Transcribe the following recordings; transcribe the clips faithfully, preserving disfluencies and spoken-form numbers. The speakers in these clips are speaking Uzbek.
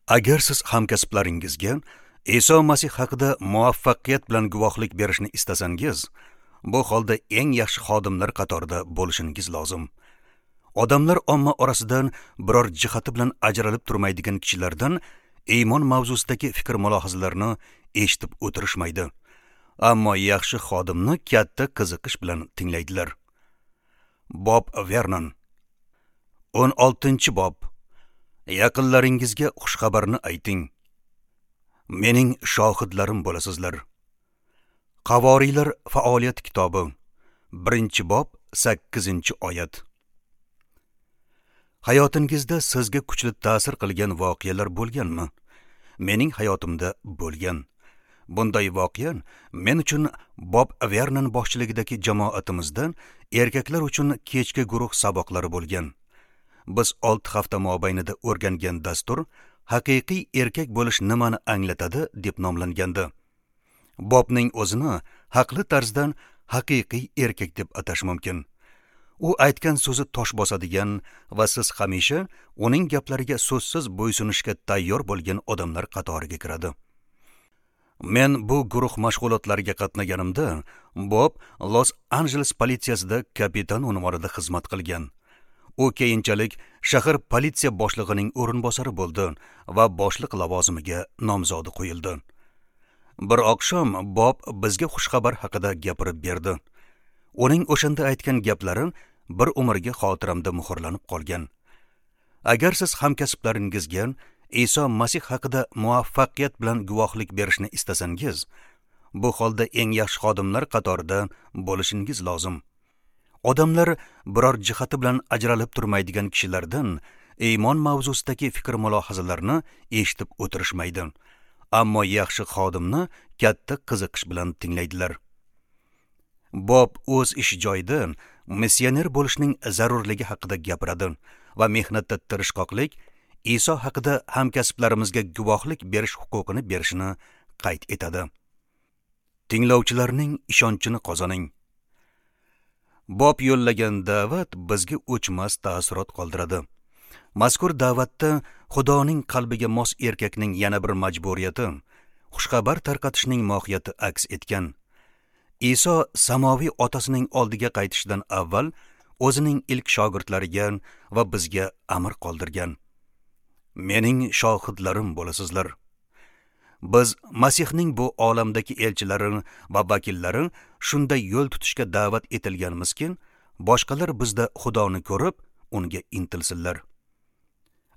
Agar siz hamkasblaringizga Iso Masih haqida muvaffaqiyat bilan guvohlik berishni istasangiz, bu holda eng yaxshi xodimlar qatorida bo'lishingiz lozim. Odamlar omma orasidan biror jihati bilan ajralib turmaydigan kishilardan iymon mavzusidagi fikr mulohazalarni eshitib o'tirishmaydi. Ammo yaxshi xodimni katta qiziqish bilan tinglaydilar. Bob Vernon. o'n oltinchi bob. Yaqinlaringizga xushxabarni ayting. Mening shohidlarim bo'lasizlar. Qavoriylar faoliyat kitobi, birinchi bob, sakkizinchi oyat. Hayotingizda sizga kuchli ta'sir qilgan voqealar bo'lganmi? Mening hayotimda bo'lgan. Bunday voqea men uchun Bob Vernon boshchiligidagi jamoatimizda erkaklar uchun kechki guruh saboqlari bo'lgan. Biz olti hafta mobaynida o'rgangan dastur haqiqiy erkak bo'lish nimani anglatadi deb nomlangandi. Bobning o'zini haqli tarzdan haqiqiy erkak deb atash mumkin. U aytgan so'zi tosh bosadigan va siz hamisha uning gaplariga so'zsiz bo'ysunishga tayyor bo'lgan odamlar qatoriga kiradi. Men bu guruh mashg'ulotlariga qatnaganimda Bob Los Anjeles politsiyasida kapitan unvonida xizmat qilgan. U keyinchalik shahar politsiya boshlig'ining o'rinbosari bo'ldi va boshliq lavozimiga nomzodi qo'yildi. Bir oqshom Bob bizga xushxabar haqida gapirib berdi. Uning o'shanda aytgan gaplari bir umrga xotiramda muhrlanib qolgan. Agar siz hamkasblaringizga Iso Masih haqida muvaffaqiyat bilan guvohlik berishni istasangiz, bu holda eng yaxshi xodimlar qatorida bo'lishingiz lozim. Odamlar biror jihati bilan ajralib turmaydigan kishilardan iymon mavzusidagi fikr mulohazalarni eshitib o'tirishmaydi. Ammo yaxshi xodimni katta qiziqish bilan tinglaydilar. Bob o'z ish joyida missioner bo'lishning zarurligi haqida gapiradi va mehnatda tirishqoqlik Iso haqida hamkasblarimizga guvohlik berish huquqini berishini qayd etadi. Tinglovchilarning ishonchini qozoning. Bob yo'llagan da'vat bizga o'chmas taassurot qoldiradi. Mazkur da'vatda Xudoning qalbiga mos erkakning yana bir majburiyati, xushxabar tarqatishning mohiyati aks etgan. Iso samoviy otasining oldiga qaytishidan avval o'zining ilk shogirdlariga va bizga amr qoldirgan. Mening shohidlarim bo'lasizlar. Biz Masihning bu olamdagi elchilari va vakillari shunday yo'l tutishga da'vat etilganmizki, boshqalar bizda Xudoni ko'rib, unga intilsinlar.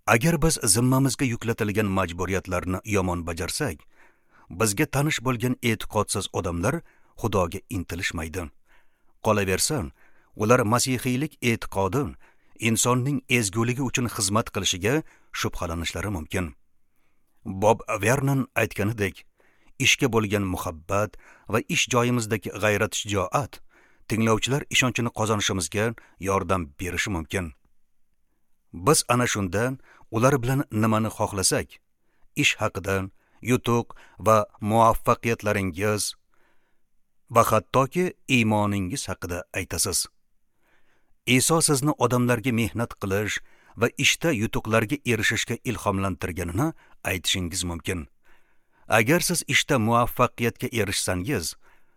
Agar biz zimmamizga yuklatilgan majburiyatlarni yomon bajarsak, bizga tanish bo'lgan e'tiqodsiz odamlar Xudoga intilishmaydi. Qolaversa, ular masihiylik e'tiqodi insonning ezguligi uchun xizmat qilishiga shubhalanishlari mumkin. Bob Vernon aytganidek, ishga bo'lgan muhabbat va ish joyimizdagi g'ayrat shijoat tinglovchilar ishonchini qozonishimizga yordam berishi mumkin. Biz ana shunda ular bilan nimani xohlasak, ish haqida, yutuq va muvaffaqiyatlaringiz va hattoki iymoningiz haqida aytasiz. Iso sizni odamlarga mehnat qilish va ishda yutuqlarga erishishga ilhomlantirganini aytishingiz mumkin. Agar siz ishda muvaffaqiyatga erishsangiz,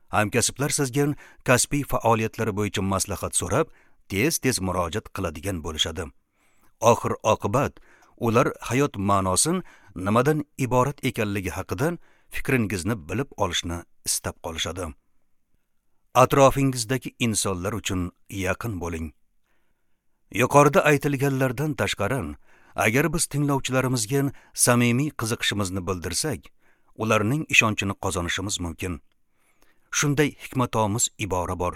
hamkasblar sizga kasbiy faoliyatlari bo'yicha maslahat so'rab, tez-tez murojaat qiladigan bo'lishadi. Oxir oqibat ular hayot ma'nosi nimadan iborat ekanligi haqida fikringizni bilib olishni istab qolishadi. Atrofingizdagi insonlar uchun yaqin bo'ling. Yuqorida aytilganlardan tashqari, agar biz tinglovchilarimizga samimiy qiziqishimizni bildirsak, ularning ishonchini qozonishimiz mumkin. Shunday hikmatomuz ibora bor.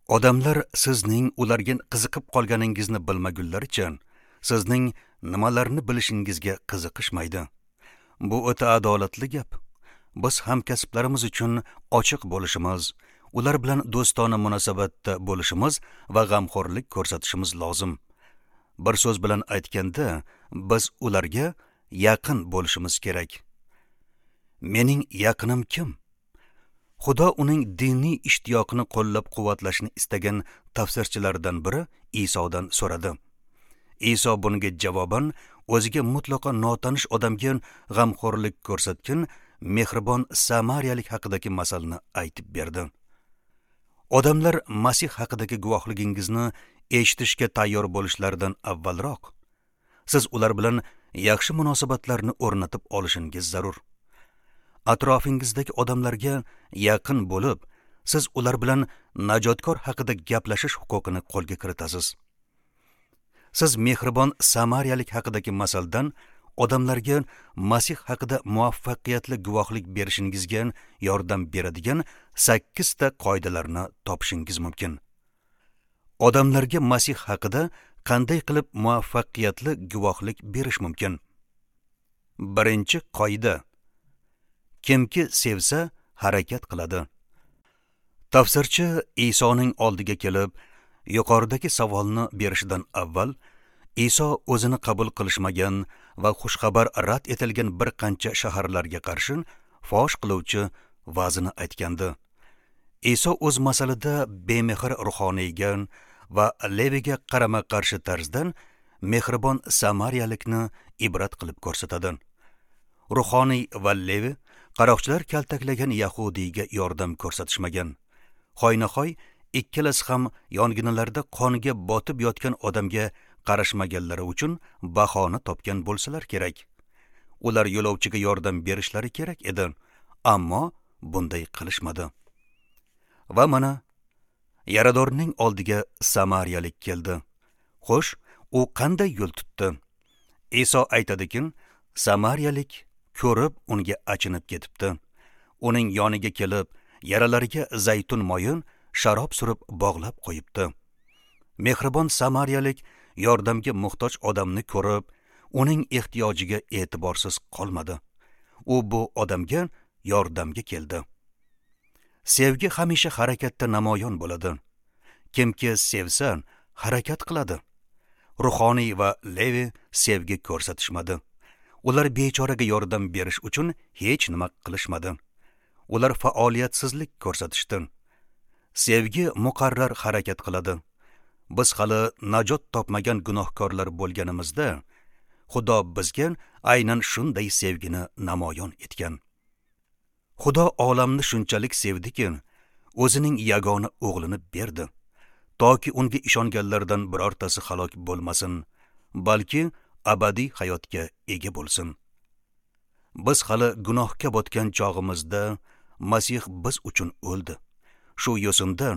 Odamlar sizning ularga qiziqib qolganingizni bilmagunlaricha, sizning nimalarni bilishingizga qiziqishmaydi. Bu o'ta adolatli gap. Biz hamkasblarimiz uchun ochiq bo'lishimiz, ular bilan do'stona munosabatda bo'lishimiz va g'amxo'rlik ko'rsatishimiz lozim. Bir so'z bilan aytganda, biz ularga yaqin bo'lishimiz kerak. Mening yaqinim kim? Xudo uning diniy ishtiyoqini qo'llab-quvvatlashni istagan tafsirchilardan biri Isodan so'radi. Iso bunga javoban o'ziga mutlaqo notanish odamga g'amxo'rlik ko'rsatgan mehribon samariyalik haqidagi masalni aytib berdi. Odamlar Masih haqidagi guvohligingizni eshitishga tayyor bo'lishlaridan avvalroq siz ular bilan yaxshi munosabatlarni o'rnatib olishingiz zarur. Atrofingizdagi odamlarga yaqin bo'lib, siz ular bilan najotkor haqida gaplashish huquqini qo'lga kiritasiz. Siz mehribon samariyalik haqidagi masaldan odamlarga Masih haqida muvaffaqiyatli guvohlik berishingizga yordam beradigan sakkizta qoidalarni topishingiz mumkin. Odamlarga Masih haqida qanday qilib muvaffaqiyatli guvohlik berish mumkin? Birinchi qoida: kimki sevsa, harakat qiladi. Tafsirchi Isoning oldiga kelib, yuqoridagi savolni berishidan avval Iso o'zini qabul qilishmagan va xushxabar rad etilgan bir qancha shaharlarga qarshi fosh qiluvchi va'zini aytgandi. Iso o'z masalida bemehr ruhoniyga va Leviga qarama-qarshi tarzdan mehribon samariyalikni ibrat qilib ko'rsatadi. Ruhoniy va Levi qaroqchilar kaltaklagan yahudiyga yordam ko'rsatishmagan. Hoynahoy ikkalasi ham yong'inlarda qonga botib yotgan odamga qarashmaganlari uchun bahona topgan bo'lsalar kerak. Ular yo'lovchiga yordam berishlari kerak edi, ammo bunday qilishmadi. Va mana yaradorning oldiga samariyalik keldi. Xo'sh, u qanday yo'l tutdi? Iso aytadiki, samariyalik ko'rib unga achinib ketibdi. Uning yoniga kelib, yaralariga zaytun moyi, sharob surib bog'lab qo'yibdi. Mehribon samariyalik yordamga muhtoj odamni ko'rib, uning ehtiyojiga e'tiborsiz qolmadi. U bu odamga yordamga keldi. Sevgi hamisha harakatda namoyon bo'ladi. Kimki sevsa, harakat qiladi. Ruhoniy va Levi sevgi ko'rsatishmadi. Ular bechoraga yordam berish uchun hech nima qilishmadi. Ular faoliyatsizlik ko'rsatishdi. Sevgi muqarrar harakat qiladi. Biz hali najot topmagan gunohkorlar bo'lganimizda, Xudo bizga aynan shunday sevgini namoyon etgan. Xudo olamni shunchalik sevdiki, o'zining yagona o'g'lini berdi, toki unga ishonganlardan birortasi halok bo'lmasin, balki abadiy hayotga ega bo'lsin. Biz hali gunohga botgan chog'imizda Masih biz uchun o'ldi. Shu yo'sinda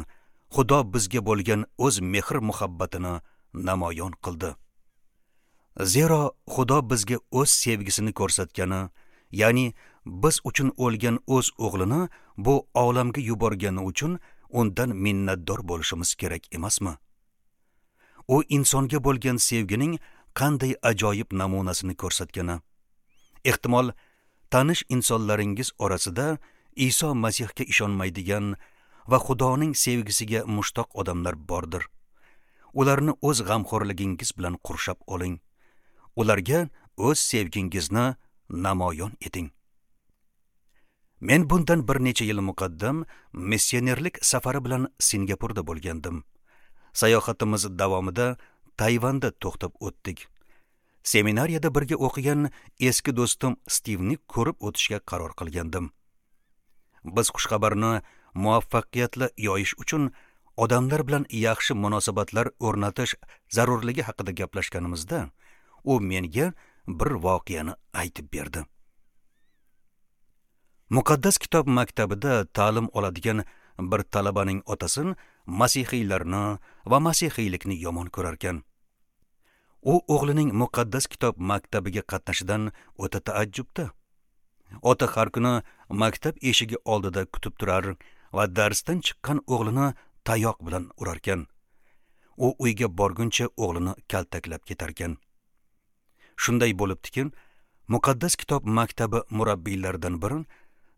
Xudo bizga bo'lgan o'z mehr-muhabbatini namoyon qildi. Zero Xudo bizga o'z sevgisini ko'rsatgani, ya'ni biz uchun o'lgan o'z o'g'lini bu olamga yuborgani uchun undan minnatdor bo'lishimiz kerak emasmi? U insonga bo'lgan sevgining qanday ajoyib namunasini ko'rsatgani. Ehtimol tanish insonlaringiz orasida Iso Masihga ishonmaydigan va Xudoning sevgisiga mushtoq odamlar bordir. Ularni o'z g'amxo'rligingiz bilan qurshab oling. Ularga o'z sevgingizni namoyon eting. Men bundan bir necha yil muqaddam missionerlik safari bilan Singapurda bo'lgandim. Sayohatimiz davomida Tayvanda to'xtab o'tdik. Seminariyada birga o'qigan eski do'stim Stivni ko'rib o'tishga qaror qilgandim. Biz xushxabarni muvaffaqiyatli yoyish uchun odamlar bilan yaxshi munosabatlar o'rnatish zarurligi haqida gaplashganimizda, u menga bir voqeani aytib berdi. Muqaddas kitob maktabida ta'lim oladigan bir talabaning otasi masihiylarni va masihiylikni yomon ko'rarkan. U o'g'lining muqaddas kitob maktabiga qatnashidan o'ta taajjubda. Ota har kuni maktab eshigi oldida kutib turar va darsdan chiqqan o'g'lini tayoq bilan urarkan. U uyga borguncha o'g'lini kaltaklab ketarkan. Shunday bo'libdiki, muqaddas kitob maktabi murabbiylaridan biri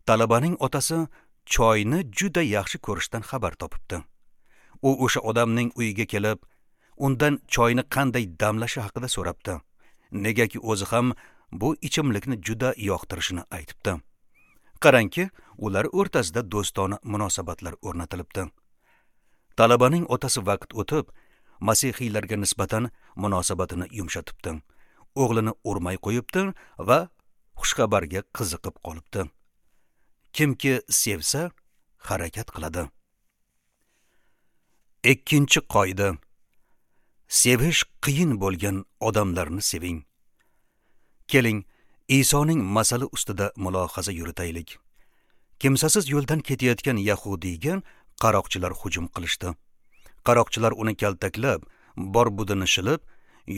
talabaning otasi choyni juda yaxshi ko'rishdan xabar topibdi. U o'sha odamning uyiga kelib, undan choyni qanday damlashi haqida so'rabdi. Negaki o'zi ham bu ichimlikni juda yoqtirishini aytibdi. Qarangki, ular o'rtasida do'stona munosabatlar o'rnatilibdi. Talabaning otasi vaqt o'tib, masihiylarga nisbatan munosabatini yumshatibdi. o'g'lini urmay qo'yibdi va xushxabarga qiziqib qolibdi. Kimki sevsa, harakat qiladi. Ikkinchi qoida. Sevish qiyin bo'lgan odamlarni seving. Keling, Isoning masali ustida mulohaza yuritaylik. Kimsasiz yo'ldan ketayotgan yahudiyga qaroqchilar hujum qilishdi. Qaroqchilar uni kaltaklab, bor-budini shilib,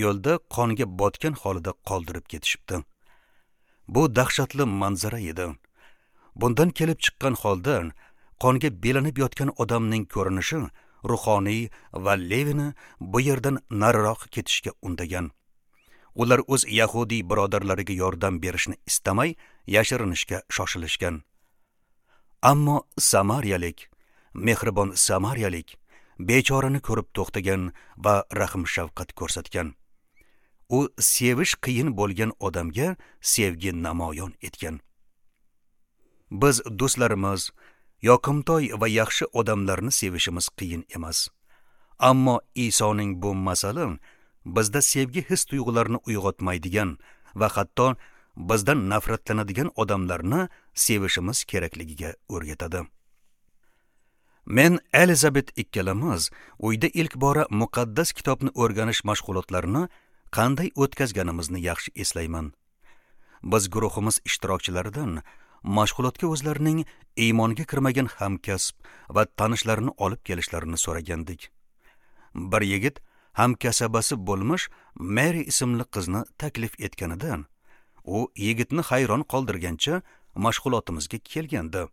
yo'lda qonga botgan holida qoldirib ketishibdi. Bu dahshatli manzara edi. Bundan kelib chiqqan holda qonga belanib yotgan odamning ko'rinishi ruhoniy va Levini bu yerdan nariroq ketishga undagan. Ular o'z yahudiy birodarlariga yordam berishni istamay, yashirinishga shoshilishgan. Ammo samariyalik, mehribon samariyalik bechorani ko'rib to'xtagan va rahm-shafqat ko'rsatgan. U sevish qiyin bo'lgan odamga sevgi namoyon etgan. Biz do'stlarimiz, yoqimtoy va yaxshi odamlarni sevishimiz qiyin emas. Ammo Isoning bu masali bizda sevgi his tuyg'ularini uyg'otmaydigan va hatto bizdan nafratlanadigan odamlarni sevishimiz kerakligiga o'rgatadi. Men Elizabet ikkalamiz uyda ilk bora muqaddas kitobni o'rganish mashg'ulotlarini qanday o'tkazganimizni yaxshi eslayman. Biz guruhimiz ishtirokchilaridan mashg'ulotga o'zlarining iymonga kirmagan hamkasb va tanishlarini olib kelishlarini so'ragandik. Bir yigit hamkasabasi bo'lmish Mary ismli qizni taklif etganidan, u yigitni hayron qoldirgancha mashg'ulotimizga kelgandi.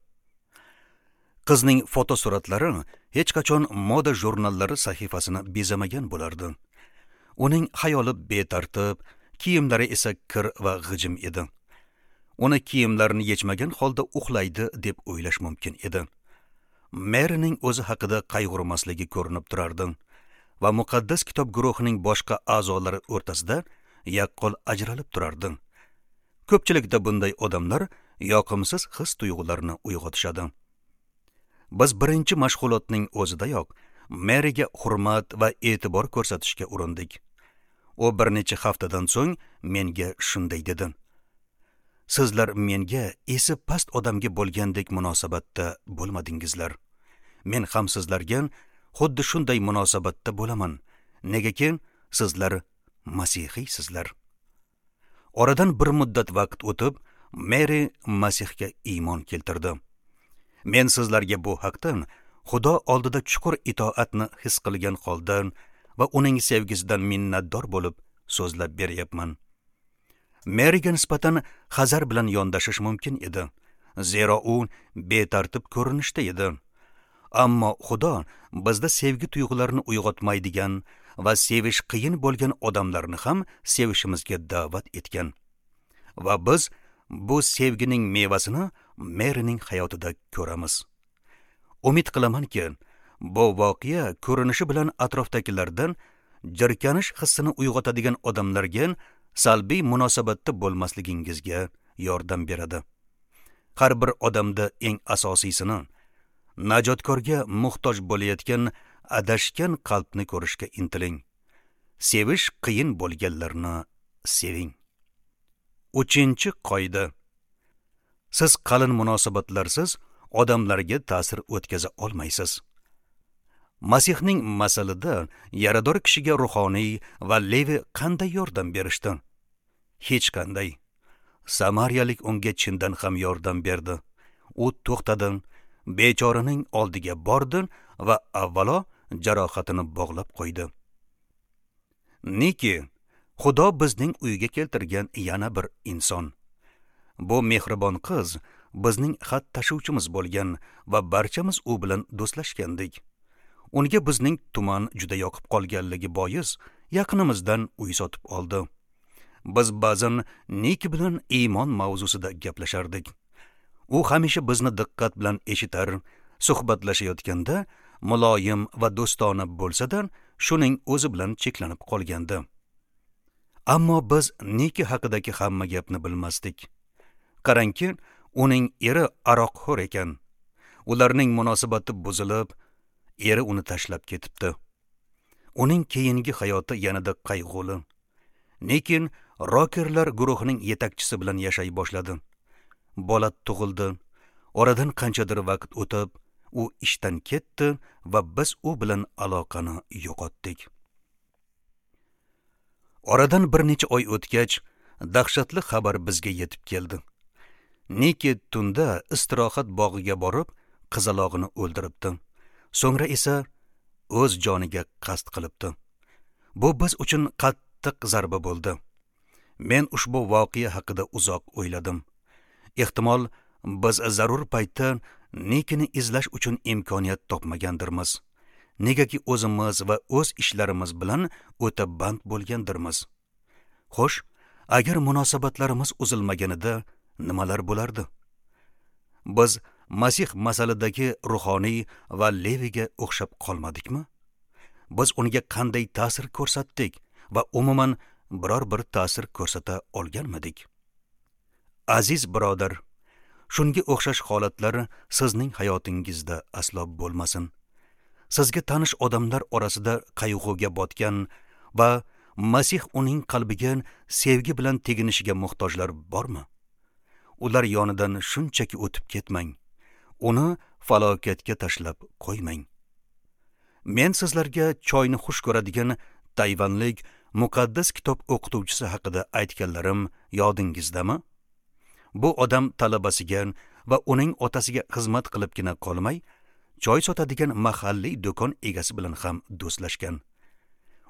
Qizning fotosuratlari hech qachon moda jurnallari sahifasini bezamagan bo'lardi. Uning xayoli betartib, kiyimlari esa kir va g'ijim edi. Uni kiyimlarini yechmagan holda uxlaydi deb o'ylash mumkin edi. Maryning o'zi haqida qayg'urmasligi ko'rinib turardi va muqaddas kitob guruhining boshqa a'zolari o'rtasida yaqqol ajralib turardi. Ko'pchilikda bunday odamlar yoqimsiz his tuyg'ularni uyg'otishadi. Biz birinchi mashg'ulotning o'zidayoq Maryga hurmat va e'tibor ko'rsatishga urindik. U bir necha haftadan so'ng menga shunday dedi: "Sizlar menga esi past odamga bo'lgandek munosabatda bo'lmadingizlar. Men ham sizlarga xuddi shunday munosabatda bo'laman. Negaki sizlar masihiysizlar." Oradan bir muddat vaqt o'tib, Mary Masihga iymon keltirdi. Men sizlarga bu haqdan Xudo oldida chuqur itoatni his qilgan holda va uning sevgisidan minnatdor bo'lib so'zlab beryapman. Maryga nisbatan hazar bilan yondashish mumkin edi, zero u betartib ko'rinishda edi. Ammo Xudo bizda sevgi tuyg'ularini uyg'otmaydigan va sevish qiyin bo'lgan odamlarni ham sevishimizga da'vat etgan. Va biz bu sevgining mevasini Maryning hayotida ko'ramiz. Umid qilamanki, bu voqea ko'rinishi bilan atrofdagilardan jirkanish hissini uyg'otadigan odamlarga salbiy munosabatda bo'lmasligingizga yordam beradi. Har bir odamda eng asosiysini, najotkorga muhtoj bo'layotgan adashgan qalbni ko'rishga intiling. Sevish qiyin bo'lganlarni seving. Uchinchi qoida. Siz qalin munosabatlarsiz odamlarga ta'sir o'tkaza olmaysiz. Masihning masalida yarador kishiga ruhoniy va Levi qanday yordam berishdi? Hech qanday. Samariyalik unga chindan ham yordam berdi. U to'xtadi, bechoraning oldiga bordi va avvalo jarohatini bog'lab qo'ydi. Niki, Xudo bizning uyga keltirgan yana bir inson. Bu mehribon qiz bizning xat tashuvchimiz bo'lgan va barchamiz u bilan do'stlashgandik. Unga bizning tuman juda yoqib qolganligi bois yaqinimizdan uy sotib oldi. Biz ba'zan Niki bilan iymon mavzusida gaplashardik. U hamisha bizni diqqat bilan eshitar, suhbatlashayotganda muloyim va do'stona bo'lsa-da, shuning o'zi bilan cheklanib qolgandi. Ammo biz Niki haqidagi hamma gapni bilmasdik. Qarangki, uning eri aroqxo'r ekan. Ularning munosabati buzilib, eri uni tashlab ketibdi. Uning keyingi hayoti yanada qayg'uli. Lekin rokerlar guruhining yetakchisi bilan yashay boshladi. Bola tug'ildi. Oradan qanchadir vaqt o'tib, u ishdan ketdi va biz u bilan aloqani yo'qotdik. Oradan bir necha oy o'tgach, dahshatli xabar bizga yetib keldi. Niki tunda istirohat bog'iga borib, qizalog'ini o'ldiribdi. So'ngra esa o'z joniga qasd qilibdi. Bu biz uchun qattiq zarba bo'ldi. Men ushbu voqea haqida uzoq o'yladim. Ehtimol biz zarur paytda Nikini izlash uchun imkoniyat topmagandirmiz. Negaki o'zimiz va o'z ishlarimiz bilan o'ta band bo'lgandirmiz. Xo'sh, agar munosabatlarimiz uzilmaganida nimalar bo'lardi? Biz Masih masalidagi ruhoniy va Leviga o'xshab qolmadikmi? Biz unga qanday ta'sir ko'rsatdik va umuman biror bir ta'sir ko'rsata olganmidik? Aziz birodar, shunga o'xshash holatlar sizning hayotingizda aslo bo'lmasin. Sizga tanish odamlar orasida qayg'uga botgan va Masih uning qalbiga sevgi bilan teginishiga muhtojlar bormi? Ular yonidan shunchaki o'tib ketmang. Uni falokatga tashlab qo'ymang. Men sizlarga choyni xush ko'radigan tayvanlik muqaddas kitob o'qituvchisi haqida aytganlarim yodingizdami? Bu odam talabasiga va uning otasiga xizmat qilibgina qolmay, choy sotadigan mahalliy do'kon egasi bilan ham do'stlashgan.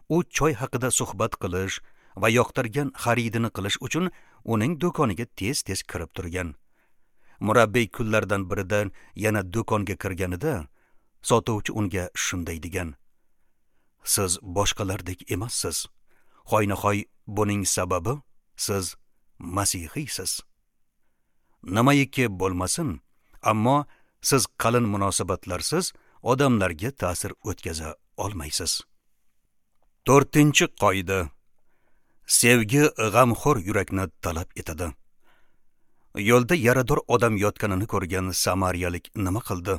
U choy haqida suhbat qilish va yoqtirgan xaridini qilish uchun uning do'koniga tez-tez kirib turgan. Murabbiy kunlardan birida yana do'konga kirganida sotuvchi unga shunday degan: "Siz boshqalardek emassiz. Hoynahoy buning sababi siz masihiysiz. Nimaiki bo'lmasin, ammo siz qalin munosabatlarsiz odamlarga ta'sir o'tkaza olmaysiz." To'rtinchi qoida: sevgi g'amxo'r yurakni talab etadi. Yo'lda yarador odam yotganini ko'rgan samariyalik nima qildi?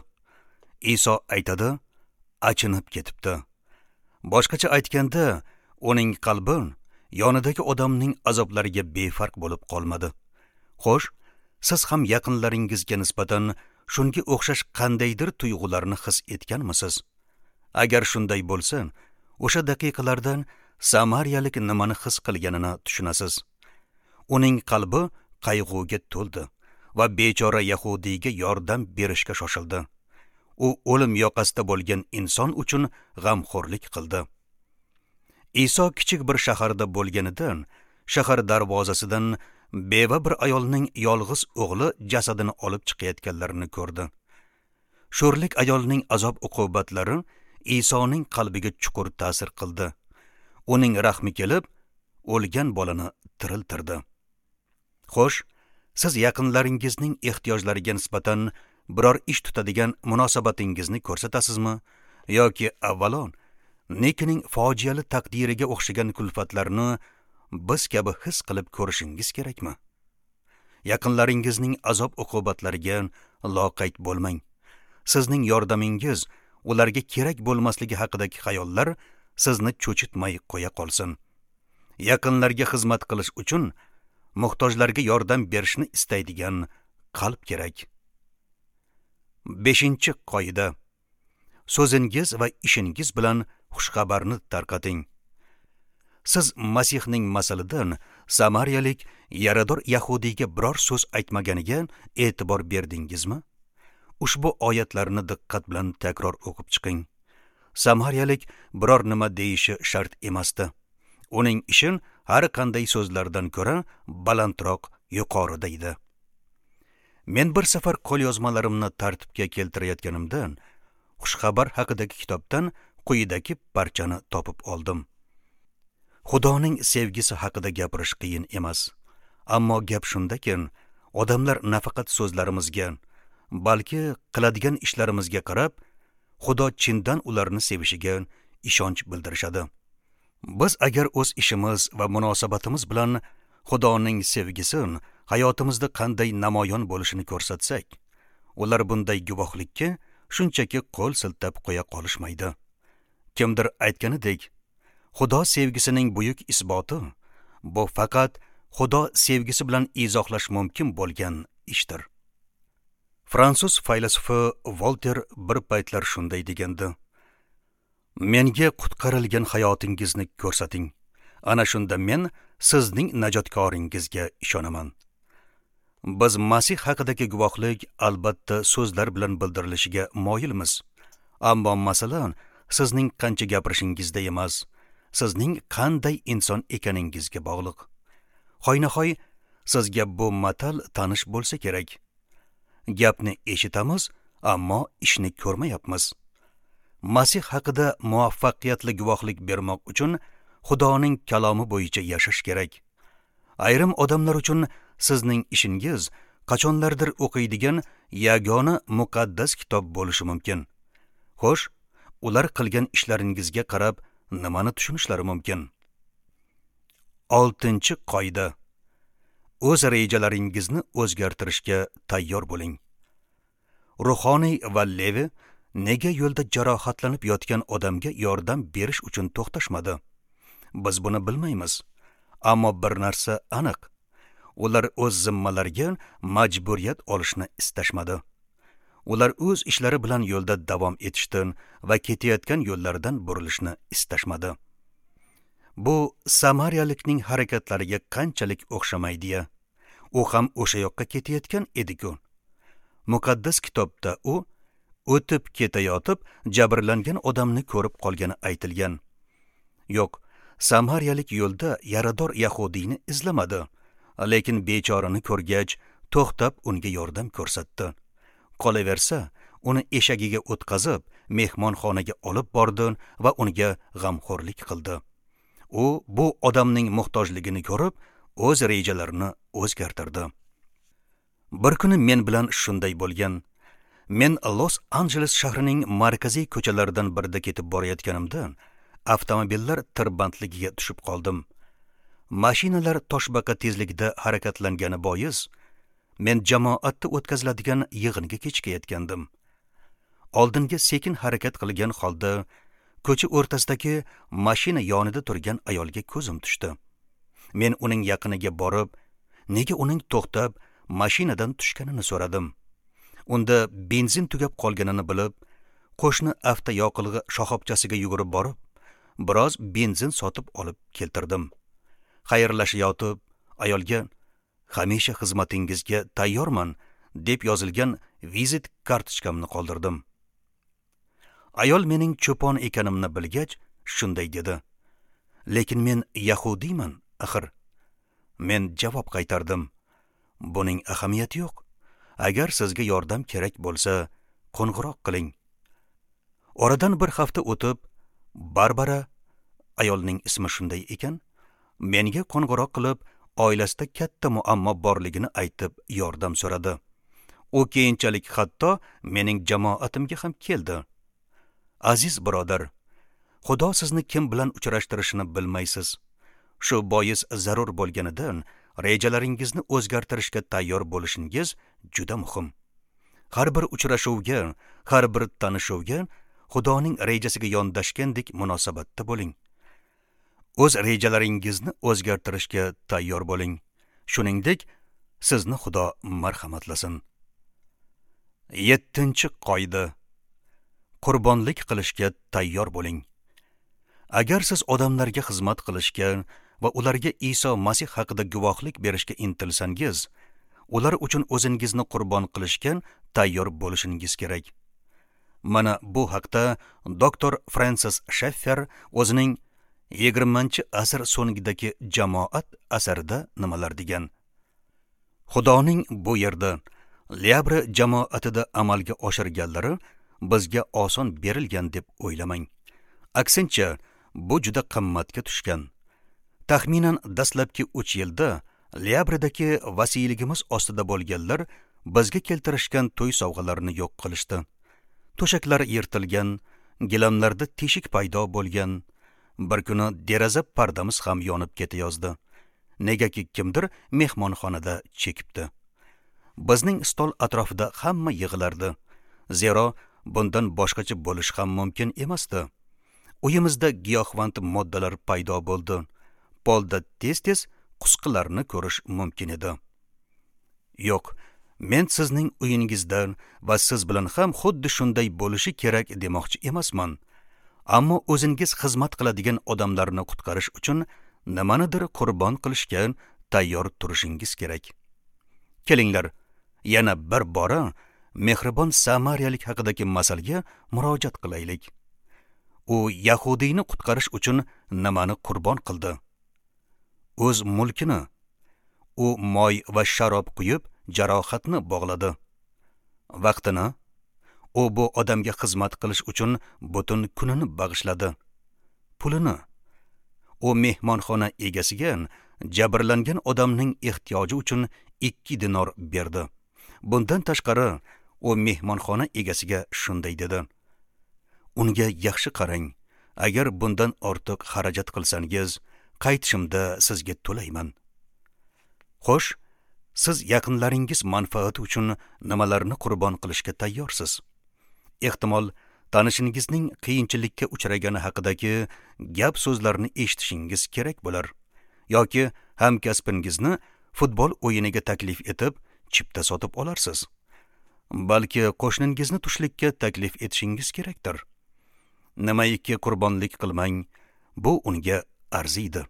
Iso aytadi, achinib ketibdi. Boshqacha aytganda, uning qalbi yonidagi odamning azoblariga befarq bo'lib qolmadi. Xo'sh, siz ham yaqinlaringizga nisbatan shunga o'xshash qandaydir tuyg'ularni his etganmisiz? Agar shunday bo'lsa, o'sha daqiqalardan samariyalik nimani his qilganini tushunasiz. Uning qalbi qayg'uga to'ldi va bechora yahudiyga yordam berishga shoshildi. U o'lim yoqasida bo'lgan inson uchun g'amxo'rlik qildi. Iso kichik bir shaharda bo'lganida, shahar darvozasidan beva bir ayolning yolg'iz o'g'li jasadini olib chiqayotganlarini ko'rdi. Sho'rlik ayolning azob-uqubatlari Isoning qalbiga chuqur ta'sir qildi. Uning rahmi kelib, o'lgan bolani tiriltirdi. Xo'sh, siz yaqinlaringizning ehtiyojlariga nisbatan biror ish tutadigan munosabatingizni ko'rsatasizmi yoki avvalo Nikining fojiali taqdiriga o'xshagan kulfatlarni biz kabi his qilib ko'rishingiz kerakmi? Yaqinlaringizning azob-uqubatlariga loqayd bo'lmang. Sizning yordamingiz ularga kerak bo'lmasligi haqidagi xayollar sizni cho'chitmay qo'ya qolsin. Yaqinlarga xizmat qilish uchun muhtojlarga yordam berishni istaydigan qalb kerak. Beshinchi qoida: so'zingiz va ishingiz bilan xushxabarni tarqating. Siz Masihning masalidan samariyalik yarador yahudiyga biror so'z aytmaganiga e'tibor berdingizmi? Ushbu oyatlarni diqqat bilan takror o'qib chiqing. Samariyalik biror nima deyishi shart emasdi. Uning ishi har qanday so'zlardan ko'ra balandroq, yuqorida edi. Men bir safar qo'lyozmalarimni tartibga keltirayotganimda xushxabar haqidagi kitobdan quyidagi parchani topib oldim. Xudoning sevgisi haqida gapirish qiyin emas. Ammo gap shundaki, odamlar nafaqat so'zlarimizga, balki qiladigan ishlarimizga qarab, Xudo chindan ularni sevishiga ishonch bildirishadi. Biz agar o'z ishimiz va munosabatimiz bilan Xudoning sevgisi hayotimizda qanday namoyon bo'lishini ko'rsatsak, ular bunday guvohlikka shunchaki qo'l siltab qo'ya qolishmaydi. Kimdir aytganidek, Xudo sevgisining buyuk isboti Bu faqat Xudo sevgisi bilan izohlash mumkin bo'lgan ishdir. Fransuz faylasufi Volter bir paytlar shunday degandi: "Menga qutqarilgan hayotingizni ko'rsating. Ana shunda men sizning najotkoringizga ishonaman." Biz Masih haqidagi guvohlik albatta so'zlar bilan bildirilishiga moyilmiz. Ammo masalan, sizning qancha gapirishingizda emas, sizning qanday inson ekaningizga bog'liq. Hoynahoy sizga bu matal tanish bo'lsa kerak. Gapni eshitamiz, ammo ishni ko'rmayapmiz. Masih haqida muvaffaqiyatli guvohlik bermoq uchun Xudoning kalomi bo'yicha yashash kerak. Ayrim odamlar uchun sizning ishingiz qachonlardir o'qiydigan yagona muqaddas kitob bo'lishi mumkin. Xo'sh, ular qilgan ishlaringizga qarab nimani tushunishlari mumkin? Oltinchi qoida: o'z rejalaringizni o'zgartirishga tayyor bo'ling. Ruhoniy va Levi nega yo'lda jarohatlanib yotgan odamga yordam berish uchun to'xtashmadi? Biz buni bilmaymiz. Ammo bir narsa aniq: ular o'z zimmalariga majburiyat olishni istashmadi. Ular o'z ishlari bilan yo'lda davom etishdi va ketayotgan yo'llaridan burilishni istashmadi. Bu samariyalikning harakatlariga qanchalik o'xshamaydi-ya? U ham o'sha yoqqa ketayotgan edi-ku. Muqaddas kitobda u o'tib ketayotib jabrlangan odamni ko'rib qolgani aytilgan. Yo'q, samariyalik yo'lda yarador yahudiyni izlamadi, lekin bechorani ko'rgach to'xtab unga yordam ko'rsatdi. Qolaversa, uni eshagiga o'tqazib, mehmonxonaga olib bordi va unga g'amxo'rlik qildi. U bu odamning muhtojligini ko'rib, o'z rejalarini o'zgartirdi. Bir kuni men bilan shunday bo'lgan. Men Los-Anjeles shahrining markaziy ko'chalaridan birida ketib borayotganimda, avtomobillar tirbandligiga tushib qoldim. Mashinalar toshbaqa tezligida harakatlangani bois, men jamoatda o'tkaziladigan yig'inga kechikayotgandim. Oldinga sekin harakat qilgan holda ko'cha o'rtasidagi mashina yonida turgan ayolga ko'zim tushdi. Men uning yaqiniga borib, nega uning to'xtab mashinadan tushganini so'radim. Unda benzin tugab qolganini bilib, qo'shni avtoyoqilg'i shoxobchasiga yugurib borib, biroz benzin sotib olib keltirdim. Xayrlashayotib, ayolga "Hamisha xizmatingizga tayyorman" deb yozilgan vizit kartochkamni qoldirdim. Ayol mening cho'pon ekanimni bilgach, shunday dedi: "Lekin men yahudiyman, axir." Men javob qaytardim: "Buning ahamiyati yo'q. Agar sizga yordam kerak bo'lsa, qo'ng'iroq qiling." Oradan bir hafta o'tib, Barbara, ayolning ismi shunday ekan, menga qo'ng'iroq qilib, oilasida katta muammo borligini aytib yordam so'radi. U keyinchalik hatto mening jamoatimga ham keldi. Aziz birodar, Xudo sizni kim bilan uchrashtirishini bilmaysiz. Shu bois zarur bo'lganidan rejalaringizni o'zgartirishga tayyor bo'lishingiz juda muhim. Har bir uchrashuvga, har bir tanishuvga Xudoning rejasiga yondashgandek munosabatda bo'ling. O'z rejalaringizni o'zgartirishga tayyor bo'ling. Shuningdek, sizni Xudo marhamatlasin. Yettinchi qoida: qurbonlik qilishga tayyor bo'ling. Agar siz odamlarga xizmat qilishga va ularga Iso Masih haqida guvohlik berishga intilsangiz, ular uchun o'zingizni qurbon qilishga tayyor bo'lishingiz kerak. Mana bu haqda doktor Fransis Sheffer o'zining yigirmanchi asr so'ngidagi jamoat asarida nimalar degan. Xudoning bu yerda Liabra jamoatida amalga oshirganlari bizga oson berilgan deb o'ylamang. Aksincha, bu juda qimmatga tushgan. Taxminan dastlabki uch yilda Liabradagi vasiyligimiz ostida bo'lganlar bizga keltirishgan to'y sovg'alarini yo'q qilishdi. To'shaklar yirtilgan, gilamlarda teshik paydo bo'lgan. Bir kuni deraza pardamiz ham yonib ketayozdi. Negaki kimdir mehmonxonada chekibdi. Bizning stol atrofida hamma yig'ilardi. Zero bundan boshqacha bo'lish ham mumkin emasdi. Uyimizda giyohvand moddalar paydo bo'ldi. Polda tez-tez qusqilarni ko'rish mumkin edi. Yo'q, men sizning uyingizda va siz bilan ham xuddi shunday bo'lishi kerak demoqchi emasman. Ammo o'zingiz xizmat qiladigan odamlarni qutqarish uchun nimanidir qurbon qilishga tayyor turishingiz kerak. Kelinglar, yana bir bora mehribon samariyalik haqidagi masalga murojaat qilaylik. U yahudiyni qutqarish uchun nimani qurbon qildi? O'z mulkini. U moy va sharob quyib jarohatni bog'ladi. Vaqtini. U bu odamga xizmat qilish uchun butun kunini bag'ishladi. Pulini. U mehmonxona egasiga jabrlangan odamning ehtiyoji uchun ikki dinor berdi. Bundan tashqari, u mehmonxona egasiga shunday dedi: Unga yaxshi qarang. Agar bundan ortiq xarajat qilsangiz, qaytishimda sizga to'layman. Xo'sh, siz yaqinlaringiz manfaati uchun nimalarni qurbon qilishga tayyorsiz? Ehtimol, tanishingizning qiyinchilikka uchragani haqidagi gap so'zlarni eshitishingiz kerak bo'lar. Yoki hamkasbingizni futbol o'yiniga taklif etib, chipta sotib olarsiz. Balki qo'shningizni tushlikka taklif etishingiz kerakdir. Nimaiki qurbonlik qilmang, bu unga arziydi.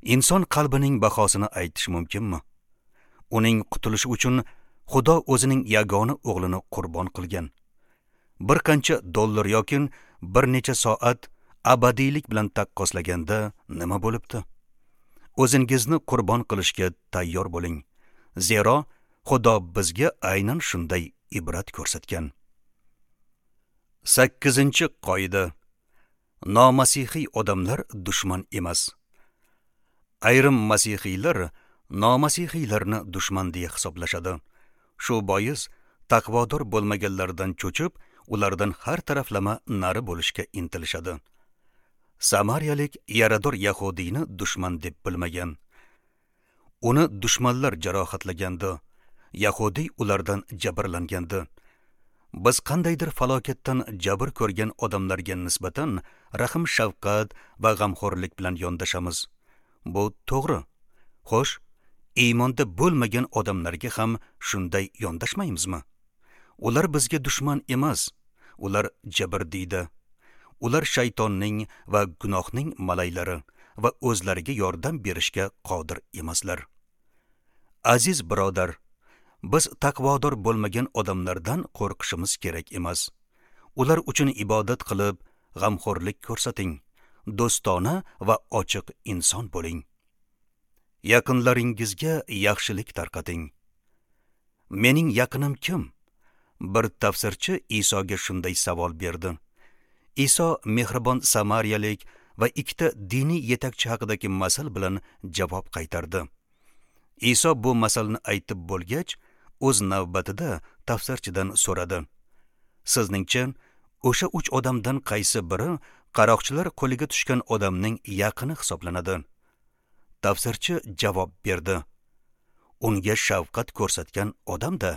Inson qalbining bahosini aytish mumkinmi? Uning qutulishi uchun Xudo o'zining yagona o'g'lini qurbon qilgan. Bir qancha dollar yoki bir necha soat abadiylik bilan taqqoslaganda nima bo'libdi? O'zingizni qurbon qilishga tayyor bo'ling. Zero Xudo bizga aynan shunday ibrat ko'rsatgan. Sakkizinchi qoida. Nomasihiy odamlar dushman emas. Ayrim masihiylar nomasihiylarni dushman deya hisoblashadi. Shu bois taqvodor bo'lmaganlardan cho'chib, ulardan har taraflama nari bo'lishga intilishadi. Samariyalik yarador yahudiyni dushman deb bilmagan. Uni dushmanlar jarohatlagandi. Yahudiy ulardan jabrlangandi. Biz qandaydir falokatdan jabr ko'rgan odamlarga nisbatan rahm-shafqat va g'amxo'rlik bilan yondashamiz. Bu to'g'ri. Xo'sh, iymonda bo'lmagan odamlarga ham shunday yondashmaymizmi? Ular bizga dushman emas, ular jabrdiyda. Ular shaytonning va gunohning malaylari va o'zlariga yordam berishga qodir emaslar. Aziz birodar, biz taqvodor bo'lmagan odamlardan qo'rqishimiz kerak emas. Ular uchun ibodat qilib, g'amxo'rlik ko'rsating. Do'stona va ochiq inson bo'ling. Yaqinlaringizga yaxshilik tarqating. Mening yaqinim kim? Bir tafsirchi Isoga shunday savol berdi. Iso mehribon samariyalik va ikkita diniy yetakchi haqidagi masal bilan javob qaytardi. Iso bu masalni aytib bo'lgach, o'z navbatida tafsirchidan so'radi. Sizningcha, o'sha uch odamdan qaysi biri qaroqchilar qo'liga tushgan odamning yaqini hisoblanadi? Tafsirchi javob berdi. Unga shafqat ko'rsatgan odam-da.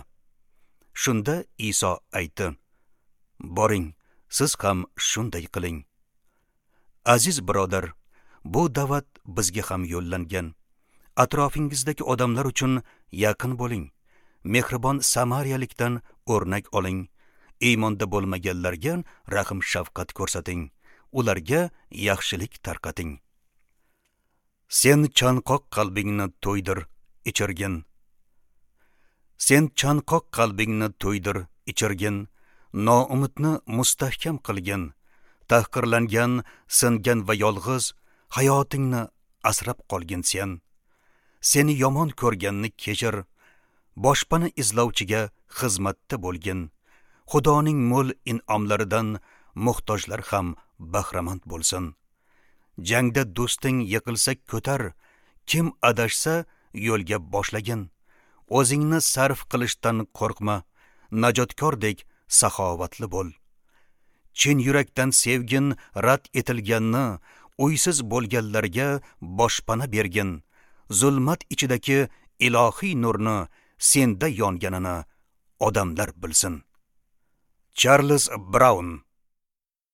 Shunda Iso aytdi: Boring, siz ham shunday qiling. Aziz birodar, bu da'vat bizga ham yo'llangan. Atrofingizdagi odamlar uchun yaqin bo'ling. Mehribon samariyalikdan o'rnak oling. Iymonda bo'lmaganlarga rahm-shafqat ko'rsating. Ularga yaxshilik tarqating. Sen chanqoq qalbingni to'ydir, ichirgin. Sen chanqoq qalbingni to'ydir, ichirgin. Noumidni mustahkam qilgin. Tahqirlangan, singan va yolg'iz hayotingni asrab qolgin sen. Seni yomon ko'rganni kechir. Boshpana izlovchiga xizmatda bo'lgin. Xudoning mo'l in'omlaridan muhtojlar ham bahramand bo'lsin. Jangda do'sting yiqilsa ko'tar, kim adashsa yo'lga boshlagin. O'zingni sarf qilishdan qo'rqma, najotkordek saxovatli bo'l. Chin yurakdan sevgin rad etilganni, uysiz bo'lganlarga boshpana bergin. Zulmat ichidagi ilohiy nurni senda yonganini odamlar bilsin. Charles Brown.